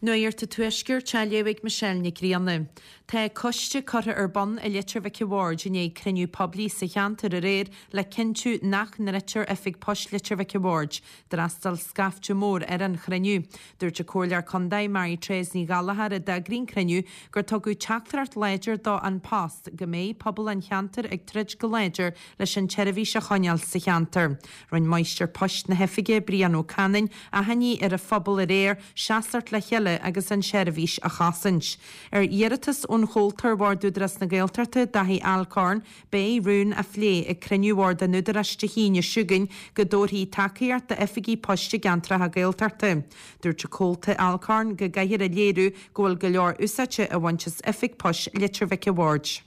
Nuacht an Tuaiscirt á léamh ag Michelle Nic Grianna. Tá coiste curtha ar bun i Leitir Mhic a' Bhaird i ndiaidh cruinniú poiblí sa cheantar aréir le cinntiú nach ndruidtear Oifig Poist Leitir Mhic a' Bhaird. D'fhreastail scaifte mór ar an chruinniú. Dúirt an Comhairleoir Contae Mary Therese Ní Ghallchóir a d'eagraigh an cruinniú gur tugadh teachtaireacht láidir do An Post go mbeidh pobal an cheantair ag troid go láidir leis an tseirbhís a choinneáil sa cheantar. Rinne Máistir Poist na hoifige, Brian Ó Canainn, achainí ar an phobal aréir seasamh le chéile agus an tseirbhís a chosaint. Ar iarratas ón chomhalta ar Bhord Údarás na Gaeltachta, Daithí Alcorn, beidh rún á phlé ag cruinniú Bhord an Údaráis Dé hAoine seo chugainn go dtabharfaí tacaíocht d'oifigí poist i gceantracha Gaeltachta. Dúirt an Comhalta Alcorn go gcaithfear a léiriú go bhfuil go leor úsáide á bhaint as Oifig Poist Leitir Mhic a' Bhaird.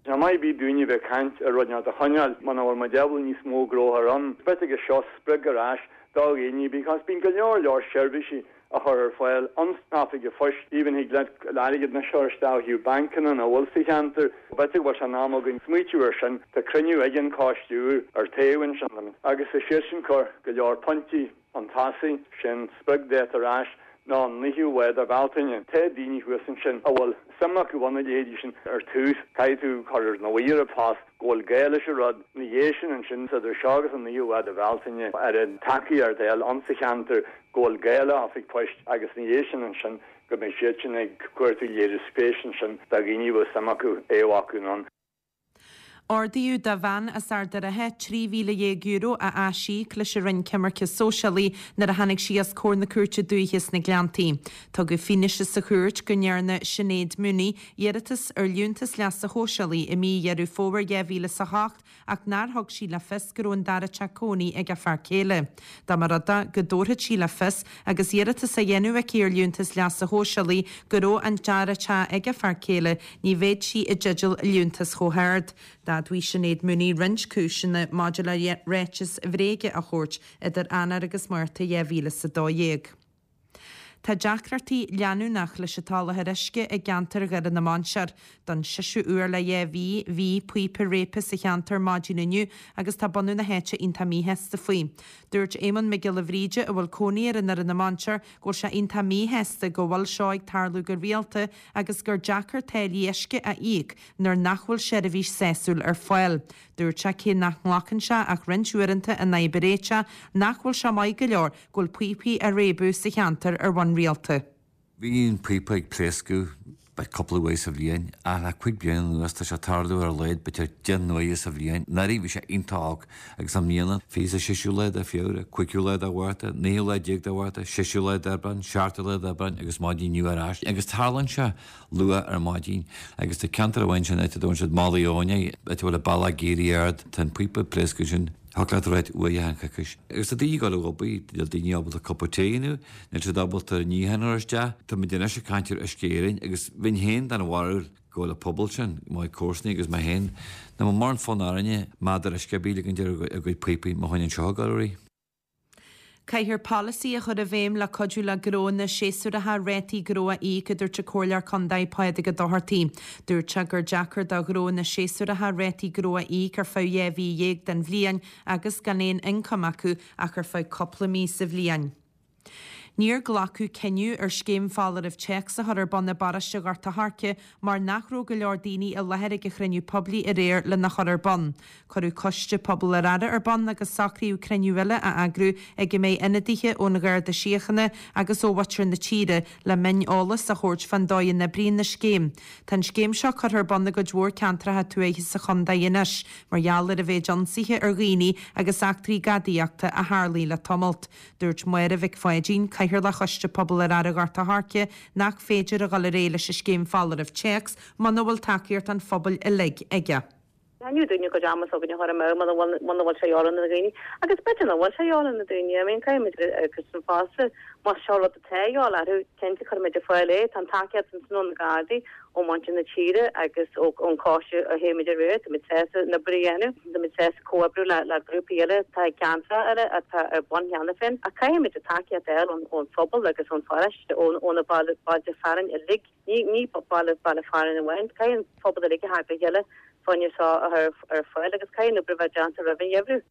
Tá maith ar bith dúinne bheith ag caint ar rud inteacht a choinneáil muna bhfuil muid ábalta níos mó gnó a chur ann. B'fhéidir gur seo sprioc ar ais do dhaoine because bíonn go leor leor seirbhísí a chur ar fáil ins na hoifigí poist. Even thig leat airgead anois a chur isteach ó thaobh bancanna nach bhfuil sa cheantar. B'fhéidir go bhfuil sé in am againn smaoitiú ar sin. Tá cruinniú ag an coiste úr ar taobh ansin agus tá siadsan ag cur go leor pointí chun tosaigh, sin spriocdháta ar ais ná an 9ú lá de Bhealtaine. Tá daoine thuas ansin a bhfuil suim acu ina leithéidí sin ar tús. Caithfidh tú cur ina luí ar an Post go bhfuil gá leis an rud. Ina dhiaidh sin ansin, idir seo agus an 9ú lá de Bhealtaine, ar an tacaíocht a fháil insa cheantar go bhfuil gá le oifig poist agus ina dhiaidh sin ansin go mbeidh siad sin ag cuartú léiriú spéis ansin do dhaoine a bhfuil suim acu é a bhacadh anonn. Ordaíodh do bhean as Ard an Rátha €13,000 a aisíoc leis an Roinn Coimirce Sóisialaí nuair a tháinig sí os comhair na Cúirte Dúiche sna Gleanntaí. Tugadh fianaise sa chúirt go ndearna Sinéad Mooney iarratas ar Liúntas Leasa Shóisialaigh i mí Dheireadh Fómhair 2008 ach nár thug sí le fios go raibh an dara teach cónaí ag a fear céile. Dá mba rud é go dtabharfadh sí le fios agus iarratas á dhéanamh aici ar Liúntas Leasa Shóisialaigh go raibh an dara teach ag a fear céile, ní bheadh sí i dteideal liúntas chomh hard. D'admhaigh Sinéad Mooney roinnt cúiseanna maidir le ráitis bhréige a thabhairt idir Eanáir agus Márta 2012. Tá deacrachtaí leanúnach leis an tsoláthar uisce i gceantar Dhoire na Mainsear. Don seisiú uair le 2 mhí, bhí píopa réabtha sa cheantar maidin inniu agus tá bunadh na háite iontach míshásta faoi. Dúirt Éamonn Mac Giolla Bhríde, a bhfuil cónaí air i nDoire na Mainsear, go bhfuil sé iontach míshásta go bhfuil seo ag tarlú go rialta agus gur deacair táillí uisce a íoc nuair nach bhfuil seirbhís sásúil ar fáil. Dúirt sé cé nach nglacann sé ach roinnt uaireanta an fhadhb a réiteach, nach bhfuil sé maith go leor go bhfuil píopaí á réabadh sa cheantar ar bhonn rialta. Bhí an píopa ag pléascadh b'fhéidir cúpla uair sa bhliain ach le cuig bliana anuas tá sé ag tarlú ar a laghad b'fhéidir 10 n-uaire sa bhliain. Anuraidh bhí sé iontach olc agus i mbliana, 26ú lá de Feabhra, 5ú lá de Mhárta, 19ú lá de Mhárta, 6ú lá d'Aibreán, 7ú lá d'Aibreán agus maidin inniu ar ais. Agus tarlaíonn sé luath ar maidin agus tá ceantar amháin sin áit a dtugann siad Malaidh Eoin air, áit a bhfuil an bealach ag éirí ard, tá an píopa ag pléascadh ansin, thiocfadh leat a ráit uair achan choicís. Agus tá daoine ag dul ag obair, níl daoine ábalta cupa tae a dhéanamh, níl siad ábalta an níochán a chur isteach. Tá muid anois ag caint ar Uisce Éireann agus bheinn féin den bharúil go bhfuil an pobal sin, mo chuid comharsanaí agus mé féin, nach bhfuil mórán fonn orainne madra uisce ar bith a ligint ar a gcuid píopaí má choinníonn seo ag dul ar aghaidh. Caithfear polasaí a chur i bhfeidhm le cuidiú le gnóanna séasúracha rátaí gnó a íoc, a dúirt an Comhairleoir Contae Pádraig Ó Dochartaigh. Dúirt sé gur deacair do ghnóanna séasúracha rátaí gnó a íoc ar feadh 12 mhí den bhliain agus gan aon ioncam acu ach ar feadh cúpla mí sa bhliain. Níor glacadh cinneadh ar scéim foláirimh téacs a chur ar bun i bparóiste Ghort a' Choirce mar nach raibh go leor daoine i láthair ag an chruinniú poiblí aréir lena chur ar bun. Cuireadh coiste pobail ar aire ar bun agus socraíodh cruinniú eile a eagrú ag a mbeidh ionadaithe ón Gharda Síochána agus ó mhuintir na tíre le mion-eolas a thabhairt fán dóigh a n-oibríonn an scéim. Tá an scéim seo curtha ar bun i gcuid mhór ceantracha tuaithe sa chontae anois mar gheall ar an mhéid ionsaithe ar dhaoine agus eachtraí gadaíochta a tharlaigh le tamalt. Dúirt Máire Mhic Pháidín, Cathaoirleach Choiste Pobail ar Aire Ghort a' Choirce, nach féidir a dhul ar aghaidh leis an scéim foláirimh téacs muna bhfuil tacaíocht an phobail uilig aige. Ní dúinne cuid ama s'againne a chur amú muna bhfuil muna bhfuil sé ar na daoine. Agus b'fhéidir nach bhfuil sé ar na daoine. I mean caithfimid agus an fosta más seo rud atá de dhíobháil orthu, cinnte cuirfimid ar fáil é. Tá an tacaíocht ansin ó na Gardaí, ó mhuintir na tíre agus ón choiste a théimid aréir. Táimid sásta an obair a dhéanamh. Táimid sásta comhoibriú le le grúpaí eile atá i gceantracha eile atá ar bun cheana féin. Ach caithfimid an tacaíocht a fháil ón phobal agus ón pharóiste, ó na bailte fearainn uilig. Ní ní baile baile fearainn amháin. Caithfidh an pobal uilig a theacht le chéile fá choinne seo a chur ar fáil agus caithfidh an obair a bheith déanta roimh an gheimhreadh.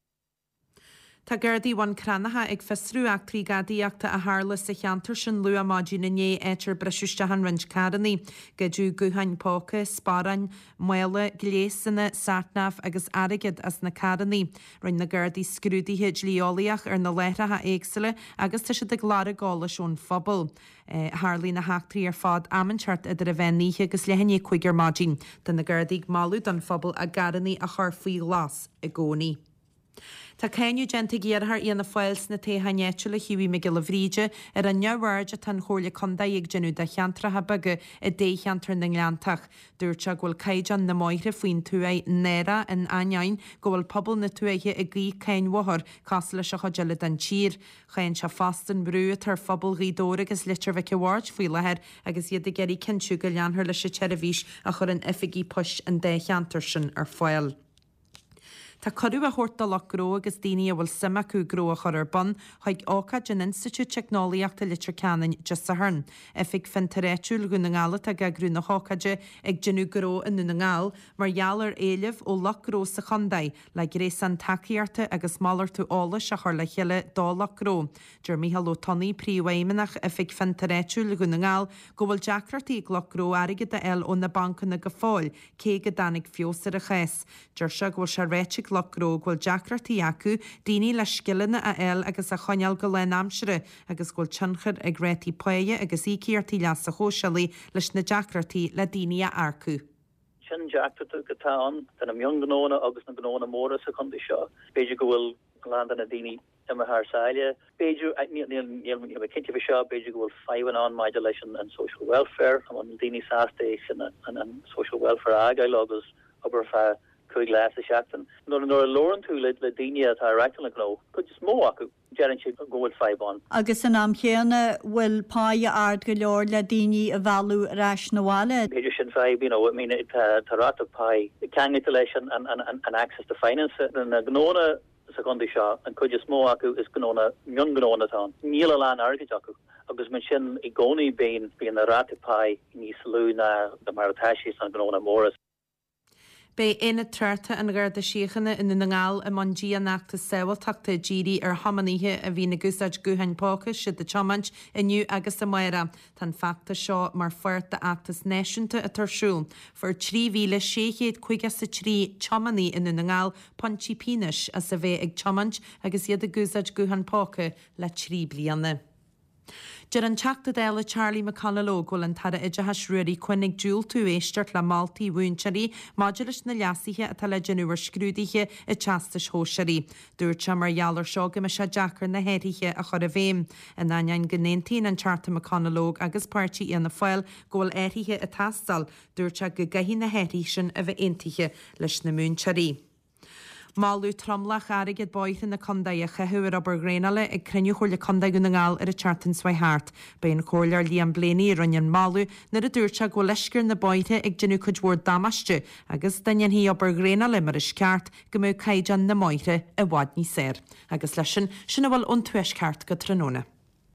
Tá Gardaí Bhun Cranncha ag fiosrú eachtraí gadaíochta a tharla sa cheantar sin luath maidin inné, áit ar briseadh isteach in roinnt carrannaí. Goideadh gutháin póca, sparáin, mála, gléasanna, satnav agus airgead as na carrannaí. Rinne na Gardaí scrúduithe dlí-eolaíoch ar na láithreacha éagsúla agus tá siad ag lorg eolais ón phobal. Tharlaigh na heachtraí ar fad am inteacht idir an mheán oíche agus leath i ndiaidh 5 ar maidin. Tá na Gardaí ag moladh don phobal a gcarrannaí a chur faoi ghlas i gcónaí. Tá cáineadh déanta ag iarrthóir Fhianna Fáil sna toghcháin áitiúla Hughie Mac Giolla Bhríde ar an neamhaird atá an Chomhairle Contae ag déanamh de cheantracha beaga i dtoghcheantar na nGleanntach. Dúirt sé go bhfuil caighdeán na mbóithre faoin tuaith náireach in ainneoin go bhfuil pobal na tuaithe ag íoc cáin bhóthair cosúil leis an chuid eile den tír. Cháin sé fosta an brú atá ar phobal Ghaoth Dobhair agus Leitir Mhic a' Bhaird faoi láthair agus iad ag iarraidh cinntiú go leanfar leis an tseirbhís a chuireann oifigí poist an dá cheantar sin ar fáil. Tá cuireadh á thabhairt do lucht gnó agus daoine a bhfuil suim acu gnó a chur ar bun chuig ócáid in Institiúid Teicneolaíochta Leitir Ceanainn Dé Sathairn. Oifig Fiontair Áitiúil Dhún na nGall atá ag eagrú na hócáide Ag Déanamh Gnó i nDún na nGall mar gheall ar éileamh ó lucht gnó sa chontae le gréasán tacaíochta agus malartú eolais a chur le chéile do lucht gnó. Deir Mícheál Ó Tonnaigh, Príomhfheidhmeannach Oifig Fiontair Áitiúil Dhún na nGall go bhfuil deacrachtaí ag lucht gnó airgead a fháil ó na bancanna go fóill cé go dtáinig feabhas ar an chás. Deir sé go bhfuil sé ráite ag lucht gnó go bhfuil deacrachtaí acu daoine le scileanna a fháil agus a choinneáil go lánaimseartha agus go bhfuil tionchar ag rátaí páighe agus íocaíochtaí leasa shóisialaigh leis na deacrachtaí le daoine a earcú. Sin deacracht atá ann do na mionghnónna agus na gnónna móra sa chontae seo. B'fhéidir go bhfuil a lán de na daoine imithe thar sáile. B'fhéidir, níl mé cinnte faoi seo, b'fhéidir go bhfuil fadhbanna ann maidir leis an social welfare, an bhfuil daoine sásta é sin, an social welfare a fhágáil agus obair feadh 5 lá sa seachtain. Nuair a labhrann tú le daoine atá ag reáchtáil na gnó, cuid is mó acu, deireann siad go bhfuil fadhb ann. Agus san am chéanna, bhfuil páighe ard go leor le daoine a mhealladh ar ais 'na bhaile? B'fhéidir sin fadhb, you know, I mean tá ráta páí ceangailte leis an access to finance. Na gnónna sa chontae seo, an chuid is mó acu is gnónna, mionghnónna atá ann. Níl a lán airgid acu agus mar sin i gcónaí bíonn, bíonn na ráta páí níos lú ná mar atá sé sna gnónna móra. Beidh Aonad Tráchta an Gharda Síochána i nDún na nGall i mbun dianfheachtas sábháilteachta dírithe ar thiománaithe a bhíonn ag úsáid gutháin póca is iad ag tiomáint inniu agus amárach. Tá an feachtas seo mar pháirt d'fheachtas náisiúnta atá ar siúl. Fuair 3,653 tiománaí i nDún na nGall pointí pionóis as a bheith ag tiomáint agus iad ag úsáid guthán póca le 3 bliana. Deir an Teachta Dála Charlie McConalogue go bhfuil an tAire Oideachais Ruairí Quinn ag diúltú éisteacht le moltaí mhúinteoirí maidir leis na leasuithe atá le déanamh ar scrúduithe an Teastais Shóisearaigh. Dúirt sé mar gheall ar seo go mbeidh sé deacair na hathruithe a chur i bhfeidhm. In ainneoin go n-aontaíonn an Teachta McConalogue agus páirtí Fhianna Fáil go bhfuil athruithe ag teastáil, dúirt sé go gcaithfidh na hathruithe sin a bheith aontaithe leis na múinteoirí. Moladh tromlach airgead bóithre na contae a chaitheamh ar obair dhraenála ag cruinniú Chomhairle Contae Dhún na nGall ar an tseachtain seo thart. B'é an Comhairleoir Liam Blaney a rinne an moladh nuair a dúirt sé go bhfuil uisce ar na bóithre ag déanamh cuid mhór damáiste agus dá ndéanfaí obair dhraenála mar is ceart go mbeadh caighdeán na mbóithre i bhfad níos fearr. Agus leis sin, sin a bhfuil ón Tuaisceart go tráthnóna.